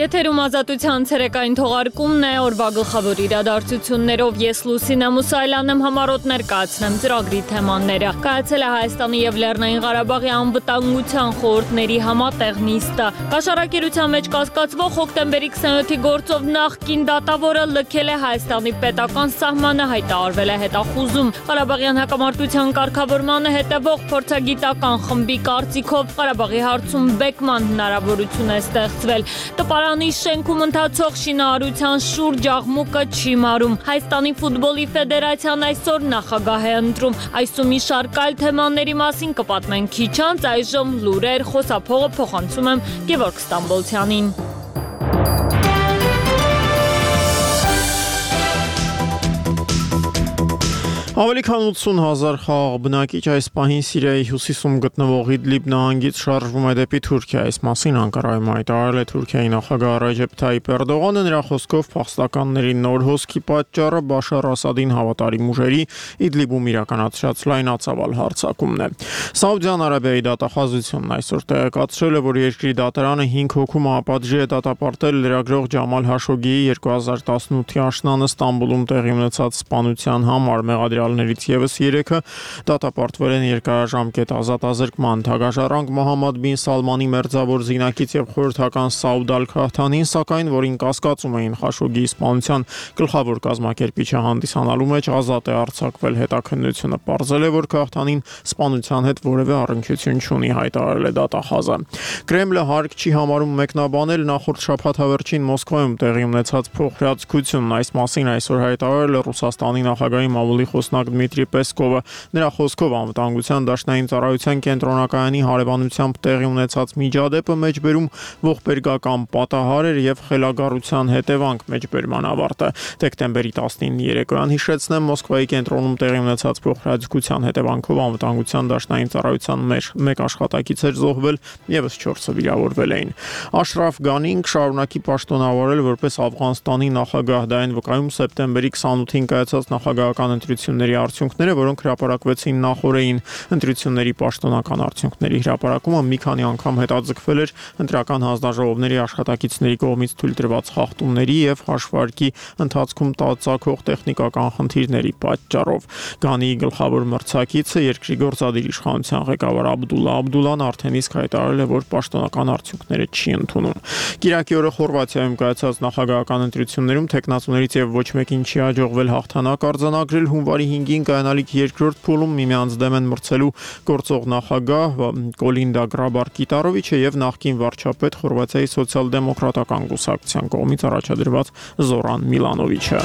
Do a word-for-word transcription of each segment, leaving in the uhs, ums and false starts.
Եթերում ազատության ցերեկային թողարկումն է, օրվա գլխավոր իրադարձություններով ես Լուսինե Մուսայելյանն եմ, համառոտ ներկայացնեմ ծրագրի թեմաները։ Կայացել է Հայաստանի և Լեռնային Ղարաբաղի անվտանգության խորհուրդների համատեղ նիստը։ Կաշառակերության մեջ կասկածվող հոկտեմբերի քսանյոթի գործով նախկին դատավորը լքել է Հայաստանի պետական սահմանը, հայտարարվել է հետախուզում։ Ղարաբաղյան հակամարտության կարգավորմանը հետևող փորձագիտական խմբի կարծիքով Ղարաբաղի հարցում բեկման հնարավորություն է ստեղծվել։ Տպարանի շենքում ընթացող շինարարության շուրջ աղմուկը չի մարում։ Հայաստանի ֆուտբոլի ֆեդերացիան այսօր նախագահ է ընտրում։ Այս ու մի շարք այլ թեմաների մասին կպատմենք քիչ անց, այժմ լուրեր, խոսափողը փոխանցում եմ Գևորգ Ստամբոլցյանին։ Ավելի քան ութսուն հազար խաղաղ բնակիչ այս պահին Սիրիայի հյուսիսում գտնվող Իդլիբ նահանգից շարժվում է դեպի Թուրքիա։ Այս մասին Անկարայում հայտարարել է Թուրքիայի նախագահ Ռեջեփ Թայիփ Էրդողանը, նրա խոսքով փախստականների նոր հոսքի պատճառը Բաշար Ասադին հավատարիմ ուժերի Իդլիբում իրականացրած լայնածավալ հարձակումն է։ Սաուդյան Արաբիայի դատախազությունն այսօր տեղեկացրել է, որ երկրի դատարանը հինգ հոգու մահապատժի է դատապարտել լրագրող Ջամալ Հաշոգիի երկու հազար տասնութի աշնանը Ստամբուլում տեղի ունեցած սպանության համար մեղադրյալ ներից ևս երեքը դատապարտվել են երկարաժամկետ ազատազրկման։ Թագաժառանգ Մոհամմադ բին Սալմանի մերձավոր զինակից եւ խորհրդական Սաուդ Ալ-Քահթանին, սակայն, որին կասկածում էին Խաշոգիի սպանության գլխավոր կազմակերպիչը հանդիսանալու մեջ, ազատ է արձակվել։ Հետաքննությունը պարզել է, որ Քահթանին սպանության հետ որևէ առնչություն չունի, հայտարարել է դատախազը։ Կրեմլը հարկ չի համարում մեկնաբանել նախորդ շաբաթավերջին Մոսկվայում տեղի ունեցած փոխհրաձգությունն։ Այս մասին այսօր հայտարարել է Ռուսաստանի նախագահի մամուլի խոսնակ Դմիտրի Պեսկովը։ Նրա խոսքով անվտանգության դաշնային ծառայության կենտրոնակայանի հարևանությամբ տեղի ունեցած միջադեպը մեջբերում ողբերգական պատահար էր եւ խելագարության հետևանք, մեջբերման ավարտը։ Դեկտեմբերի տասնինի երեկոյան, հիշեցնեմ, Մոսկվայի կենտրոնում տեղի ունեցած փոխհրաձգության հետևանքով անվտանգության դաշնային ծառայության մեջ մեկ աշխատակից էր զոհվել, եւս չորսը վիրավորվել էին։ Աշրաֆ Գանին շարունակի պաշտոնավարել որպես Աֆղանստանի նախագահ։ Դա այն վկայում սեպտեմբերի քսանութին կայացած նախագահական ընտրությունների արդյունքները, որոնք հրապարակվեցին նախորդին։ Ընտրությունների պաշտոնական արդյունքների հրապարակումը մի քանի անգամ հետաձգվել էր ընտրական հանձնաժողովների աշխատակիցների կողմից թույլ տրված խախտումների եւ հաշվարկի ընթացքում ծագող տեխնիկական խնդիրների պատճառով։ Գանիի գլխավոր մրցակիցը երկրի գործադիր իշխանության ղեկավար Աբդուլլա Աբդուլլան արդեն իսկ հայտարարել է, որ պաշտոնական արդյունքները չի ընդունում։ Կիրակի օրը Խորվաթիայում կայացած նախագահական ընտրություններում տեխնացուներից եւ ոչ մեկին չի հաջողվել հաղթանակ արձանագրել։ Հունվարի հինգին կայանալիք երկրորդ փուլում միմյանց դեմ են մրցելու գործող նախագահ Կոլինդա Գրաբար-Կիտարովիչը եւ նախկին վարչապետ Խորվաթիայի սոցիալ-դեմոկրատական կուսակցության կողմից առաջադրված Զորան Միլանովիչը։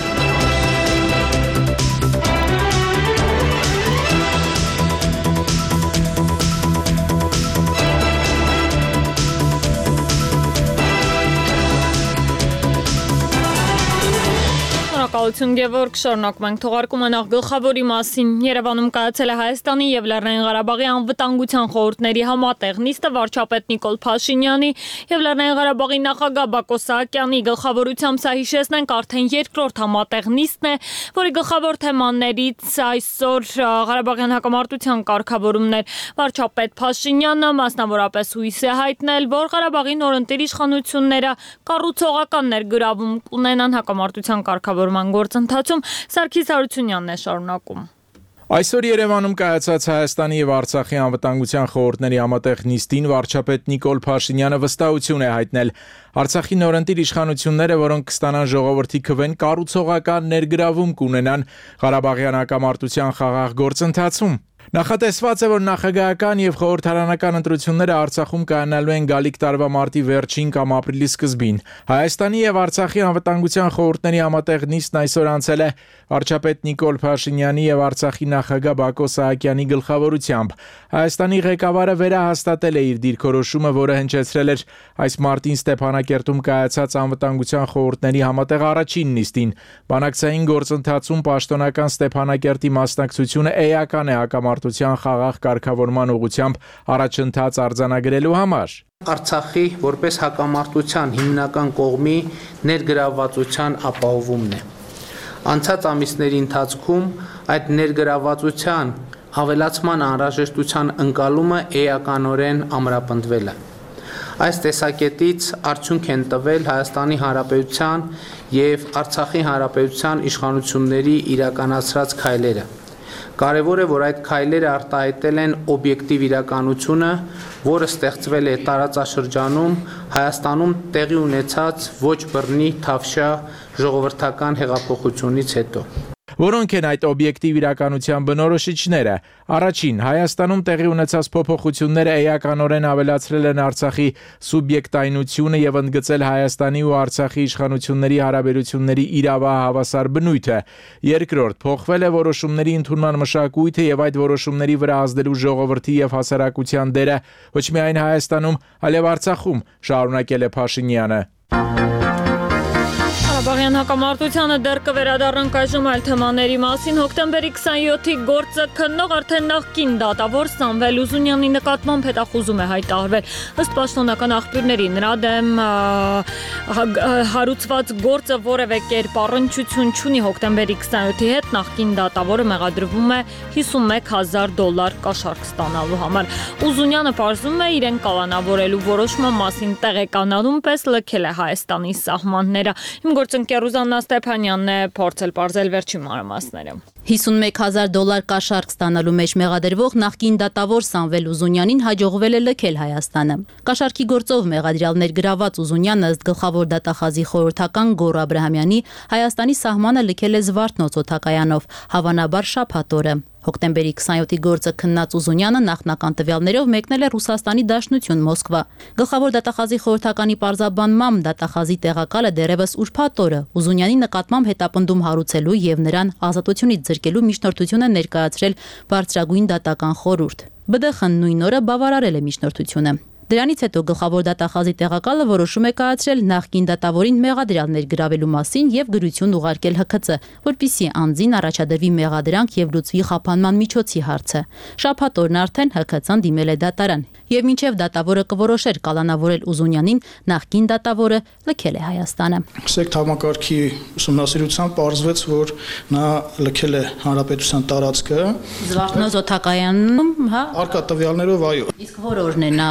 Շնորհակալություն Գևորգ, շարունակում ենք թողարկումը նախ գլխավորի մասին։ Երևանում կայացել է Հայաստանի եւ Լեռնային Ղարաբաղի անվտանգության խորհուրդների համատեղ նիստը վարչապետ Նիկոլ Փաշինյանի եւ Լեռնային Ղարաբաղի նախագահ Բակո Սահակյանի գլխավորությամբ, սա հիշեցնենք, արդեն երկրորդ համատեղ նիստն է, որի գլխավոր թեմաներից այսօր Ղարաբաղյան հակամարտության կարգավորումն էր։ Վարչապետ Փաշինյանը մասնավորապես հույս է հայտնել, որ Ղարաբաղի նորընտիր իշխանությունները կառուցողական ներգրավում կունենան հակամարտության կարգավորման գործընթացում։ Սարգիս Հարությունյանն է շարունակում։ Այսօր Երևանում կայացած Հայաստանի եւ Արցախի անվտանգության խորհուրդների համատեղ նիստին վարչապետ Նիկոլ Փաշինյանը վստահություն է հայտնել Արցախի նորընտիր իշխանությունները, որոնք կստանան ժողովրդի քվեն, կառուցողական ներգրավում կունենան Ղարաբաղյան հակամարտության խաղաղ գործընթացում։ Նախատեսված է, որ նախագահական եւ խորհրդարանական ընտրությունները Արցախում կայանալու են գալիք տարվա մարտի վերջին կամ ապրիլի սկզբին։ Հայաստանի եւ Արցախի անվտանգության խորհուրդների համատեղ նիստն այսօր անցել է վարչապետ Նիկոլ Փաշինյանի եւ Արցախի նախագահ Բակո Սահակյանի գլխավորությամբ։ Հայաստանի ղեկավարը վերահաստատել է իր դիրքորոշումը, որը հնչեցրել էր այս մարտին Ստեփանակերտում կայացած անվտանգության խորհուրդների համատեղ առաջին նիստին։ Բանակցային գործընթացում պաշտոնական Ստեփանակերտի մասնակցությունը էական է հակամարտության խաղաղ կարգավորման ուղղությամբ առաջընթաց արձանագրելու համար։ Արցախի որպես հակամարտության հիմնական կողմի ներգրավվածության ապահովումն է։ Անցած ամիսների ընթացքում այդ ներգրավվածության ավելացման անհրաժեշտության ընկալումը էականորեն ամրապնդվել է։ Այս տեսակետից արդյունք են տվել Հայաստանի Հանրապետության և Արցախի Հանրապետության իշխանությունների իրականացրած քայլերը։ Կարևոր է, որ այդ քայլերը արտահայտել են օբյեկտիվ իրականությունը, որը ստեղծվել է տարածաշրջանում Հայաստանում տեղի ունեցած ոչ բռնի թավշյա ժողովրդական հեղափոխությունից հետո։ Որոնք են այդ օբյեկտիվ իրականության բնորոշիչները։ Առաջին, Հայաստանում տեղի ունեցած փոփոխությունները էականորեն ավելացրել են Արցախի սուբյեկտայնությունը եւ ընդգծել Հայաստանի ու Արցախի իշխանությունների հարաբերությունների իրավահավասար բնույթը։ Երկրորդ, փոխվել է որոշումների ընդունման մշակույթը եւ այդ որոշումների վրա ազդելու ժողովրդի եւ հասարակության դերը ոչ միայն Հայաստանում, այլև Արցախում, շարունակել է Փաշինյանը։ Ղարաբաղյան հակամարտությանը դեռ կվերադառնանք այժմ այլ թեմաների մասին։ Հոկտեմբերի քսաներորդ-ի գործը քննող արդեն նախկին դատավոր Սամվել Ուզունյանի նկատմամբ հետախուզում է հայտարարվել։ Ըստ պաշտոնական աղբյուրների նրա դեմ հարուցված գործը որևէ կերպ առնչություն չունի հոկտեմբերի քսաներորդի հետ, նախկին դատավորը մեղադրվում է հիսունմեկ հազար դոլար կաշառք ստանալու համար։ Ուզունյանը պարզում է իրեն կալանավորելու որոշման մասին տեղեկանալուն պես լքել է Հայաստանի սահմանները։ Իմ գործընկեր Ռուզաննա Ստեփանյանն է փորձել պարզել վերջին մանրամասները։ հիսունմեկ հազար դոլար կաշառք ստանալու մեջ մեղադրվող նախկին դատավոր Սամվել Ուզունյանին հաջողվել է լքել Հայաստանը։ Կաշառքի գործով մեղադրյալներ գրաված Ուզունյանը ըստ գլխավոր դատախազի խորհրդական Գոռ Աբրահամյանի Հայաստանի սահմանը լքել է Զվարթնոց օդակայանով, հավանաբար շաբաթ օրը։ Հոկտեմբերի քսաներորդի գործը քննած Ուզունյանը նախնական տվյալներով մեկնել է Ռուսաստանի Դաշնություն Մոսկվա։ Գլխավոր դատախազի խորհրդականի պարզաբանմամբ դատախազի տեղակալը դեռևս ուրբաթ օրը Ուզունյանի նկատմամբ հետապնդում հարուցելու եւ նրան ազատությունից զրկելու միջնորդություն է ներկայացրել բարձրագույն դատական խորհուրդ։ Բ Դ Խ-ն նույն օրը բավարարել է միջնորդությունը։ Դրանից հետո գլխավոր դատախազի տեղակալը որոշում է կայացրել նախկին դատավորին մեղադրյալներ գրավելու մասին եւ գրություն ուղարկել Հ K C, որպիսի անձին առաջադրվի մեղադրանք եւ լուծվի խափանման միջոցի հարցը։ Շաբաթ օրն արդեն Հ K C-ն դիմել է դատարան եւ մինչեւ դատավորը կորոշեր կալանավորել Ուզունյանին, նախկին դատավորը լքել է Հայաստանը։ Սեկտ համակարգի ուսումնասիրությամբ պարզվեց, որ նա լքել է հանրապետության տարածքը Զվարթնոց օդակայանում, հա, արկա տվյալներով, այո։ Իսկ որ օրն է նա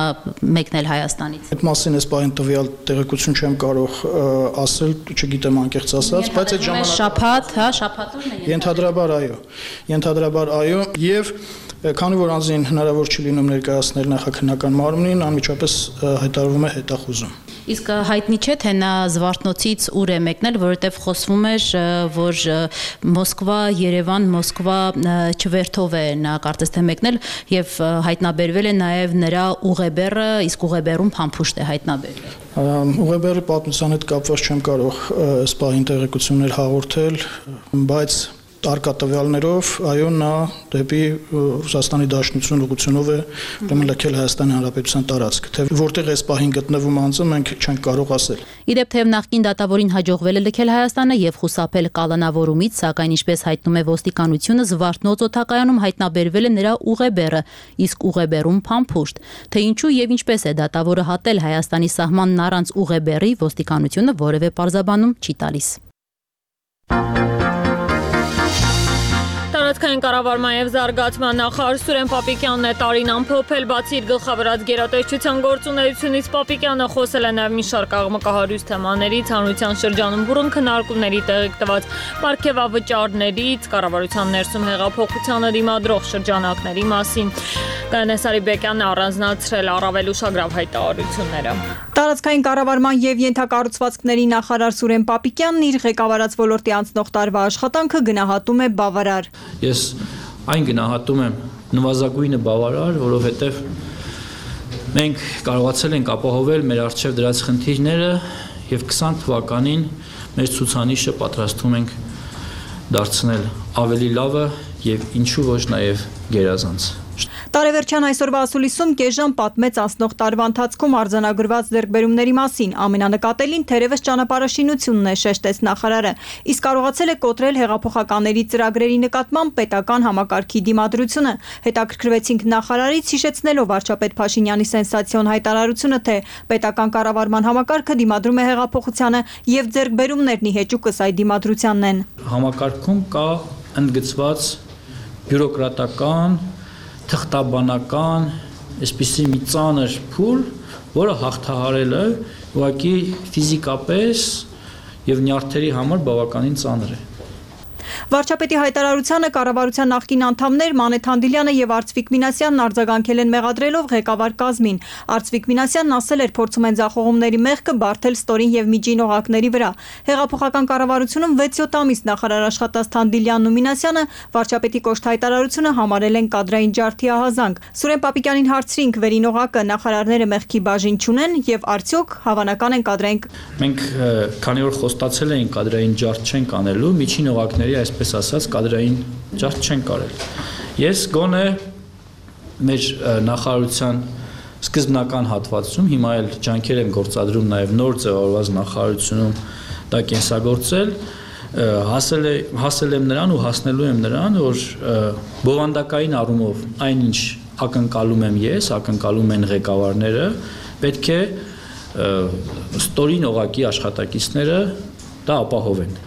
մեկնել Հայաստանից։ Այդ մասին էս բան տվյալ տեղեկություն չեմ կարող ասել, չգիտեմ անկեղծ ասած, բայց այդ ժամանակ շաբաթ, հա, շաբաթ օրն է։ Ենթադրաբար այո։ Ենթադրաբար այո, եւ քանի որ անձին հնարավոր չի լինում ներկայացնել նախաքննական մարմնին, անմիջապես հայտարարվում է հետախուզում։ Իսկ հայտնի չէ, թե նա Զվարթնոցից ուր է մեկնել, որովհետև խոսվում էր, որ Մոսկվա, Երևան, Մոսկվա չվերթով է նա կարծես թե մեկնել եւ հայտնաբերվել է նաեւ նրա ուղեբեռը, իսկ ուղեբեռում փամփուշտ է հայտնաբերվել։ Ուղեբեռի պատմության հետ կապված չեմ կարող այս բանին տեղեկություններ հաղորդել, բայց արկա տվյալներով, այո, նա դեպի Ռուսաստանի Դաշնություն ուղղությունով է ուրեմն լքել Հայաստանի Հանրապետության տարածքը, թե որտեղ այս պահին գտնվում անձը մենք չենք կարող ասել։ Իդեպ թեև նախկին դատավորին հաջողվել է լքել Հայաստանը եւ խուսափել կալանավորումից, սակայն ինչպես հայտնում է ոստիկանությունը, Զվարթնոց օդակայանում հայտնաբերվել է նրա ուղեբեռը, իսկ ուղեբեռում փամփուշտ։ Թե ինչու եւ ինչպես է դատավորը հատել Հայաստանի սահմանն առանց ուղեբեռի, ոստիկանությունը որևէ պարզաբանում չի տալիս։ Տարածքային կառավարման եւ զարգացման նախարար Սուրեն Պապիկյանն է տարին ամփոփել, բացի իր գլխավորած գերատեսչության գործունեությունից Պապիկյանը խոսել է նաեւ մի շարք աղմկահարույց թեմաներից, հանրության շրջանում բուրըն քննարկումների տեղիք տված պարգևավճարներից, կառավարության ներսում հեղափոխությանը դիմադրող շրջանակների մասին։ Կանե Սարիբեկյանն առանձնացրել առավել ուշագրավ հայտարարությունները։ Տարածքային կառավարման եւ ենթակառուցվածքների նախարար Սուրեն Պապիկյանն իր ղեկավարած ոլորտի անցնող տարվա աշխատանքը գնահատում է բավարար։ Ես այն գնահատում եմ նվազագույնը բավարար, որովհետև մենք կարողացել ենք ապահովել մեր առջև դրած խնդիրները եւ քսան թվականին մեր ցուցանիշը պատրաստում ենք դարձնել ավելի լավը եւ ինչու ոչ նաեւ գերազանց։ Տարեվերջյան այսօրվա ասուլիսում կես ժամ պատմեց անցնող տարվա ընթացքում արձանագրված ձեռքբերումների մասին, ամենանկատելին թերևս ճանապարհաշինությունն է, շեշտեց նախարարը, իսկ կարողացել է կոտրել հեղափոխականների ծրագրերի նկատմամբ պետական համակարգի դիմադրությունը։ Հետաքրքրվեցինք նախարարից, հիշեցնելով վարչապետ Փաշինյանի սենսացիոն հայտարարությունը, թե պետական կառավարման համակարգը դիմադրում է հեղափոխությանը եւ ձեռքբերումներն ի հեճուկս այդ դիմադրությանն են։ Համակարգում կա ընդգծված բյուրոկրատական թղթաբանական, այսպիսի մի ծանր փուլ, որը հաղթահարելը ուղղակի ֆիզիկապես եւ նյարդերի համար բավականին ծանր է։ Վարչապետի հայտարարությանը կառավարության նախկին անդամներ Մանեթ Հանդիլյանը եւ Արծվիկ Մինասյանն արձագանքել են մեղադրելով ղեկավար կազմին։ Արծվիկ Մինասյանն ասել էր, փորձում են ձախողումների մեղքը բարթել ստորին եւ միջին օղակների վրա։ Հեղափոխական կառավարությունում վեց-յոթ ամիս նախարար աշխատած Հանդիլյանն ու Մինասյանը վարչապետի կոշտ հայտարարությունը համարել են կադրային ջարդի ահազանգ։ Սուրեն Պապիկյանին հարցրինք վերին օղակը նախարարները մեղքի բաժին չունեն եւ արդյոք հավանական են կադրային։ Մենք քանի որ խոստացել էինք կադրային ջարդ չենք անելու, միջին օղակների այսպես ասած կադրային ջարդ չեն կարել։ Ես գոնե մեր նախարարության սկզբնական հատվածում հիմա էլ ջանքեր եմ գործադրում նաև նոր ձևավորված նախարարությունում դա կենսագործել, հասել է հասել եմ նրան ու հասնելու եմ նրան, որ բովանդակային առումով այնինչ ակնկալում եմ ես, ակնկալում են ղեկավարները, պետք է ստորին օղակի աշխատակիցները դա ապահովեն։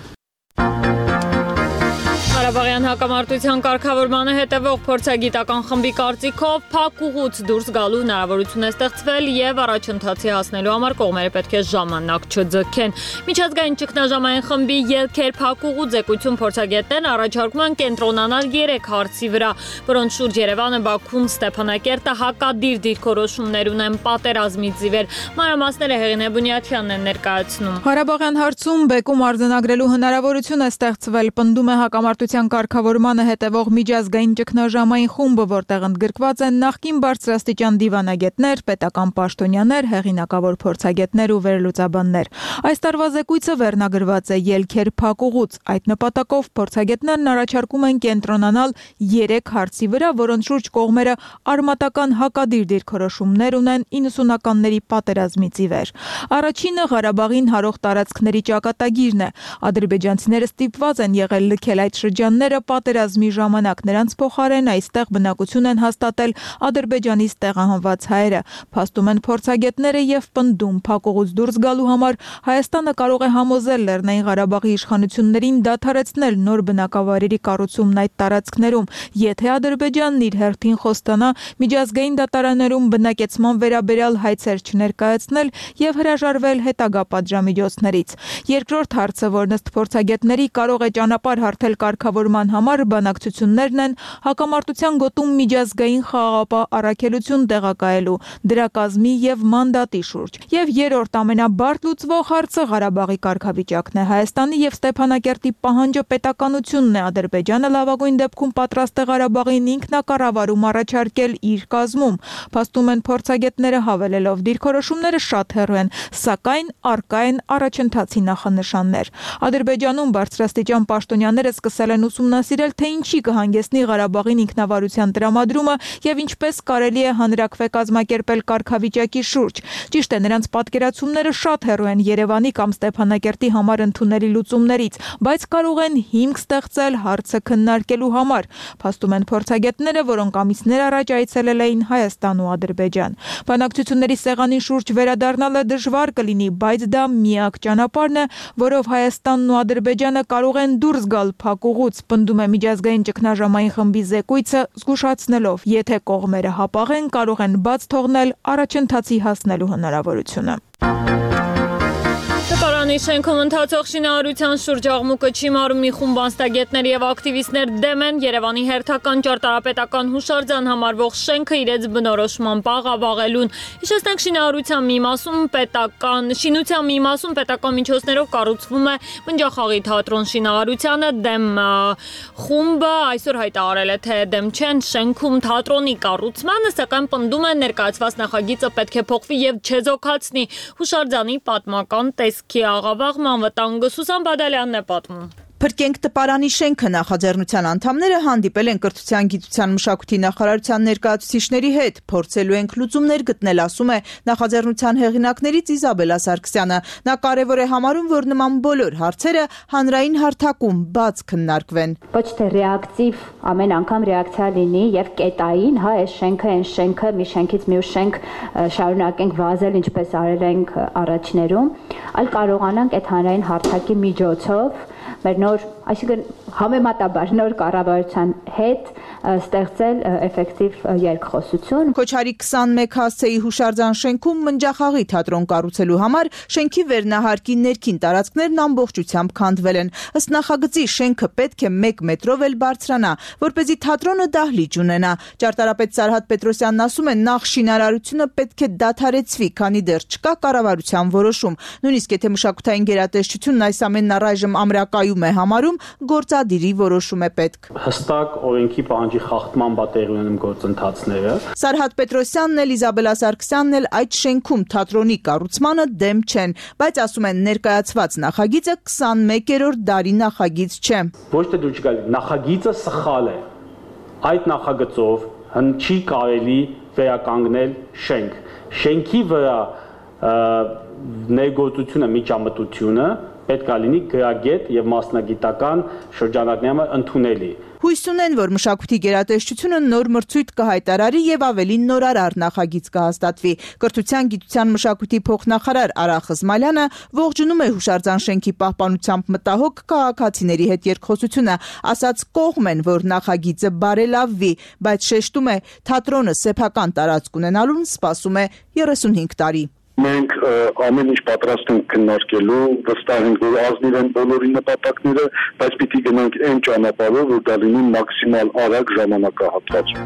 Ղարաբաղյան հակամարտության կարգավորմանը հետևող փորձագիտական խմբի կարծիքով փակ ուղուց դուրս գալու հնարավորություն է ստեղծվել եւ առաջընթացի հասնելու համար կողմերը պետք է ժամանակ չձգեն։ Միջազգային ճգնաժամային խմբի ելքեր փակ ուղու ձեկույթում փորձագետներն առաջարկում են կենտրոնանալ երեք հարցի վրա, որոնց շուրջ Երևանը, Բաքուն, Ստեփանակերտը հակադիր դիրքորոշումներ ունեն պատերազմից ի վեր։ Մանրամասները Հեղինե Բունյաթյանն են ներկայացնում։ Ղարաբաղյան հարցում բեկում արձանագրելու հնարավորություն է ստեղծվել, պնդում է հակամարտության կարգավորմանը հետևող միջազգային ճգնաժամային խումբը, որտեղ ընդգրկված են նախկին բարձրաստիճան դիվանագետներ, պետական պաշտոնյաներ, հեղինակավոր փորձագետներ ու վերլուծաբաններ։ Այս տարվա զեկույցը վերնագրված է ելքեր փակ ուղուց։ Այդ նպատակով փորձագետներն առաջարկում են կենտրոնանալ երեք հարցի վրա, որոնց շուրջ կողմերը արմատական հակադիր դիրքորոշումներ ունեն իննսունականների պատերազմից ի վեր։ Առաջինը Ղարաբաղին հարող տարածքների ճակատագիրն է։ Ադրբեջանցիները ստիպված են եղել լքել այդ շրջանները պատերազմի ժամանակ, նրանց փոխարեն այստեղ բնակություն են հաստատել Ադրբեջանից տեղահանված հայերը։ Փաստում են փորձագետները եւ պնդում փակ ուղուց դուրս գալու համար Հայաստանը կարող է համոզել Լեռնային Ղարաբաղի իշխանություններին դադարեցնել նոր բնակավայրերի կառուցումն այդ տարածքներում, եթե Ադրբեջանն իր հերթին խոստանա միջազգային դատարաններում բնակեցման վերաբերյալ հայցեր չներկայացնել եւ հրաժարվել հետագա պատժամիջոցներից։ Երկրորդ հարցը, որն ըստ փորձագետների կարող է ճանապարհ հարթել կարգավորման համար, բանակցություններն են հակամարտության գոտում միջազգային խաղաղապահ առաքելություն տեղակայելու, դրա կազմի եւ մանդատի շուրջ։ Եվ երրորդ ամենաբարդ լուծվող հարցը Ղարաբաղի կարգավիճակն է։ Հայաստանի եւ Ստեփանակերտի պահանջը պետականությունն է։ Ադրբեջանը լավագույն դեպքում պատրաստ է Ղարաբաղին ինքնակառավարում առաջարկել իր կազմում։ Փաստում են փորձագետները հավելելով դիրքորոշումները շատ հեռու են, սակայն առկա են առաջընթացի նախանշաններ։ Ադրբեջանում բարձրաստիճան պաշտոնյաները սկսել են ուսումնասիրել, թե ինչի կհանգեցնի Ղարաբաղին ինքնավարության տրամադրումը եւ ինչպես կարելի է հանրակրվե կազմակերպել կարգավիճակի շուրջ։ Ճիշտ է, նրանց պատկերացումները շատ հեռու են Երևանի կամ Ստեփանակերտի համար ընդունելի լուծումներից, բայց կարող են հիմք ստեղծել հարցը քննարկելու համար։ Փաստում են փորձագետները, որոնք ամիսներ առաջ այցելել էին Հայաստան ու Ադրբեջան։ Բանակցությունների սեղանի շուրջ վերադառնալը դժվար կլինի, բայց դա միակ ճանապարհն է, որով Հայաստանն ու Ադրբեջանը կարող են դուրս գալ փակ ուղուց, պնդում է միջազգային ճգնաժամային խմբի զեկույցը, զգուշացնելով, եթե կողմերը հապաղեն, կարող են բաց թողնել առաջընթացի հասնելու հնարավորությունը։ Տպարանի շենքում ընթացող շինարարության շուրջ աղմուկը չի մարում, մի խումբ անձնագետներ եւ ակտիվիստներ դեմ են Երևանի հերթական ճարտարապետական հուշարձան համարվող շենքը իրենց բնորոշմամբ աղավաղելուն։ Հիշեցնենք, շինարարության մի մասում պետական շինության մի մասում պետական միջոցներով կառուցվում է Բնջախաղի թատրոն, շինարարությանը դեմ խումբը այսօր հայտարարել է, թե դեմ չեն շենքում թատրոնի կառուցմանը, սակայն պնդում են ներկայացված նախագիծը պետք է փոխվի եւ չեզոքացնի հուշարձանի պատմական տեսքի աղավաղման վտանգը։ Սուսան Բադալյանն է պատմում։ Փրկենք տպարանի շենքը նախաձեռնության անդամները հանդիպել են կրթության, գիտության, մշակույթի նախարարության ներկայացուցիչների հետ, փորձելու ենք լուծումներ գտնել, ասում է նախաձեռնության հեղինակներից Իզաբելա Սարգսյանը։ Նա կարևոր է համարում, որ նման բոլոր հարցերը հանրային հարթակում բաց քննարկվեն։ Ոչ թե ռեակտիվ ամեն անգամ ռեակցիա լինի եւ կետային, հա, այս շենքը, այս շենքը, մի շենքից մյուս շենք շարունակենք վազել, ինչպես արել ենք առաջներում, այլ կարողանանք այդ հանրային հարթակի միջոցով մեր նոր, այսինքն համեմատաբար նոր կառավարության հետ ստեղծել էֆեկտիվ երկխոսություն։ Քոչարի քսանմեկ հասցեի հուշարձան շենքում մնջախաղի թատրոն կառուցելու համար շենքի վերնահարկի ներքին տարածքներն ամբողջությամբ քանդվել են։ Ըստ նախագծի շենքը պետք է մեկ մետրով էլ բարձրանա, որպեսզի թատրոնը դահլիճ ունենա։ Ճարտարապետ Սարհատ Պետրոսյանն ասում է, նախ շինարարությունը պետք է դադարեցվի, քանի դեռ չկա կառավարության որոշում։ Նույնիսկ եթե մշակութային գերատեսչությունն այս ամենն առայժմ ամրակայում է համարում, գործադիրի որոշում է պետք։ Հստակ օրենքի պահանջի խախտման պատերի ունենում գործընթացները։ Սարհատ Պետրոսյանն էլ Իզաբելա Սարգսյանն էլ այդ շենքում թատրոնի կառուցմանը դեմ չեն, բայց ասում են ներկայացված նախագիծը քսանմեկերորդ դարի նախագիծ չէ։ Ոչ թե դու չգա, նախագիծը սխալ է։ Այդ նախագծով չի կարելի վերականգնել շենք։ Շենքի վրա ներգործությունը, միջամտությունը պետք է լինի գրագետ եւ մասնագիտական շրջանակներում ընդունելի։ Հույս ունեն, որ մշակույթի գերատեսչությունը նոր մրցույթ կհայտարարի եւ ավելի նորարար նախագիծ կհաստատվի։ Կրթության, գիտության, մշակույթի փոխնախարար Արա Խզմալյանը ողջունում է հուշարձան շենքի պահպանությամբ մտահոգ քաղաքացիների հետ երկխոսությունը, ասաց կողմ են, որ նախագիծը բարելավվի, բայց շեշտում է, թատրոնը սեփական տարածք ունենալուն սպասում է երեսունհինգ տարի։ Մենք ամեն ինչ պատրաստ ենք քննարկելու, վստահ ենք, որ ազնիվ են բոլորի նպատակները, բայց պիտի գնանք այն ճանապարհով, որ դա լինի մաքսիմալ արագ ժամանակահատված։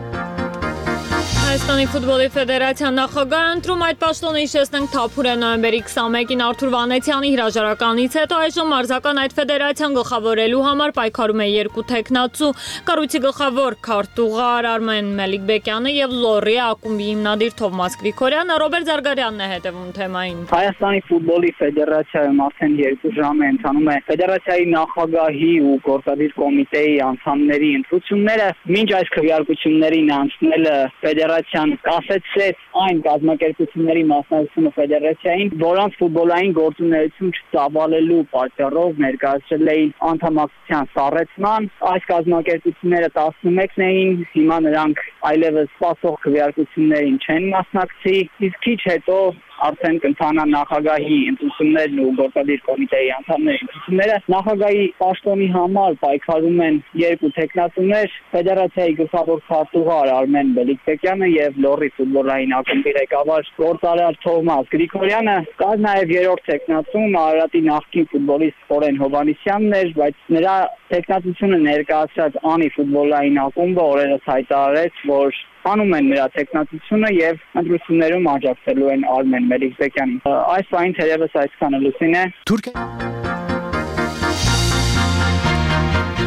Հայաստանի ֆուտբոլի ֆեդերացիան նախագահ ընտրում այդ պաշտոնը հիշեցնենք թափուր է նոյեմբերի քսանմեկին Արթուր Վանեցյանի հրաժարականից հետո այժմ մարզական այդ ֆեդերացիան գլխավորելու համար պայքարում է երկու տեխնացու կառույցի գլխավոր քարտուղար Արմեն Մելիքբեկյանը եւ Լորի ակումբի հիմնադիր Թովմաս Գրիգորյանը։ Ռոբերտ Զարգարյանն է հետևում թեմային։ Հայաստանի ֆուտբոլի ֆեդերացիայում արդեն երկու ժամ է ընթանում է ֆեդերացիայի նախագահի ու գործադիր կոմիտեի անդամների ընտրությունները։ Մինչ այս քվեարկություններին անցնելը ֆեդերացիան կասեցրեց այն կազմակերպությունների մասնակցությունը ֆեդերացիային, որոնց ֆուտբոլային գործունեություն չծավալելու պատճառով ներկայացրել էին անդամակցության սառեցման։ Այս կազմակերպությունները տասնմեկն էին, հիմա նրանք այլևս սպասող քվեարկություններին չեն մասնակցի, իսկ քիչ հետո արդեն կընթանա նախագահի ընտրություններն ու գործադիր կոմիտեի անդամների ընտրությունները։ Նախագահի պաշտոնի համար պայքարում են երկու տեխնացուներ, ֆեդերացիայի գլխավոր քարտուղար Արմեն Մելիքբեկյանը եւ Լորի ֆուտբոլային ակումբի ղեկավար գործարար Թովմաս Գրիգորյանը։ Կար նաեւ երրորդ տեխնացուն Արարատի նախկին ֆուտբոլիստ Խորեն Հովհաննիսյանն էր, բայց նրա տեխնացությունը ներկայացրած Անի ֆուտբոլային ակումբը օրերս հայտարարեց, որ անում են նրա տեխնացությունը եւ ընտրություններում աջակցելու են Արմեն Մելիքբեկյանին։ Այս բանին թերևս այսքանը լուսին է։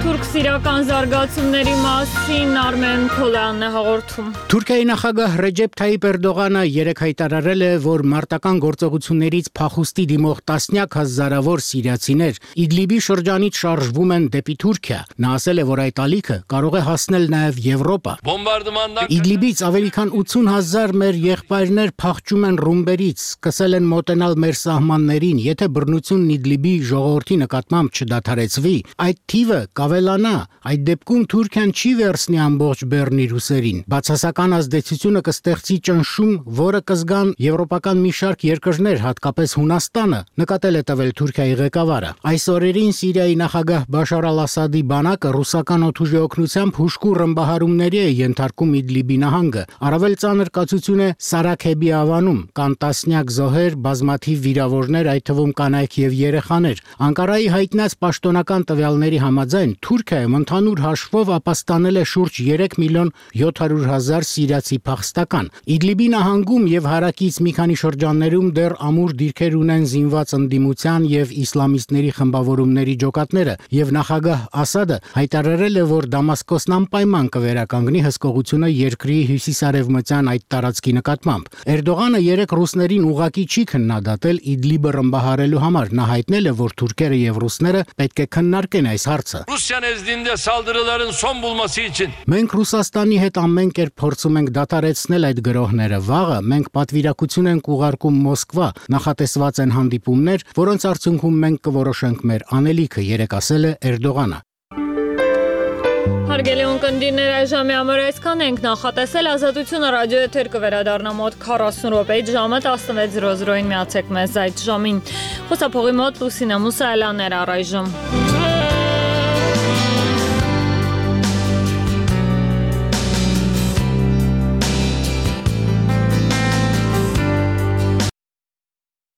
Թուրք սիրական զարգացումների մասին Արմեն Քոլյանն է հաղորդում։ Թուրքիայի նախագահ Ռեջեփ Թայիպ Էրդողանը երեկ հայտարարել է, որ մարտական գործողություններից փախուստի դիմող տասնյակ հազարավոր սիրիացիներ Իդլիբի շրջանից շարժվում են դեպի Թուրքիա։ Նա ասել է, որ այդ ալիքը կարող է հասնել նաև Եվրոպա։ Իդլիբից ավելի քան ութուն հազար մեր եղբայրներ փախչում են ռումբերից, սկսել են մոտենալ մեր սահմաններին։ Եթե բռնությունն Իդլիբի ժողովրդի նկատմամբ չդադարեցվի, այդ թիվը կավելանա։ Այդ դեպքում Թուրքիան չի վերցնի ամբողջ բեռնի ռուսերին։ Բացասական ազդեցությունը կստեղծի ճնշում, որը կզգան եվրոպական մի շարք երկրներ, հատկապես Հունաստանը, նկատել է տվել Թուրքիայի ղեկավարը։ Այս օրերին Սիրիայի նախագահ Բաշար al-Ասադի բանակը ռուսական օդուժի օգնությամբ հուժկու ռմբահարումների է ենթարկում Իդլիբի նահանգը։ Առավել ծանր կացություն է Սարաքեբի ավանում, կան տասնյակ զոհեր, բազմաթիվ վիրավորներ, այդ թվում կանայք եւ երեխաներ։ Անկարայի հայտնած պաշտոնական տվյալների համաձայն Թուրքիայում ընդհանուր հաշվով ապաստանել է շուրջ երեք միլիոն յոթ հարյուր հազար սիրիացի փախստական։ Իդլիբի նահանգում եւ հարակից մի քանի շրջաններում դեռ ամուր դիրքեր ունեն զինված ընդդիմության եւ իսլամիստների խմբավորումների ջոկատները, եւ նախագահ Ասադը հայտարարել է, որ Դամասկոսն անպայման կվերականգնի հսկողությունը երկրի հյուսիսարևմտյան այդ տարածքի նկատմամբ։ Էրդողանը երեք ռուսներին ուղակի չի քննադատել Իդլիբը ռմբահարելու համար։ Նա հայտնել է, որ թուրքերը եւ ռուսները պետք է քննարկեն այս հարցը։ Rusya nezdinde saldırıların son bulması için Մենք Ռուսաստանի հետ ամեն կերպ փորձում ենք դադարեցնել այդ գրոհները։ Վաղը մենք պատվիրակություն ենք ուղարկում Մոսկվա, նախատեսված են հանդիպումներ, որոնց արդյունքում մենք կորոշենք մեր անելիքը, երեկ ասել է Էրդողանը։ Հարգելի ունկնդիրներ, այժմի համար այսքան ենք նախատեսել։ Ազատությունը ռադիոեթեր կվերադառնա մոտ քառասուն րոպեից ժամը տասնվեց զրո զրոին միացեք մեզ այդ ժամին։ Խոսափողի մոտ Լուսինե Մուսայելյանն էր առայժմ։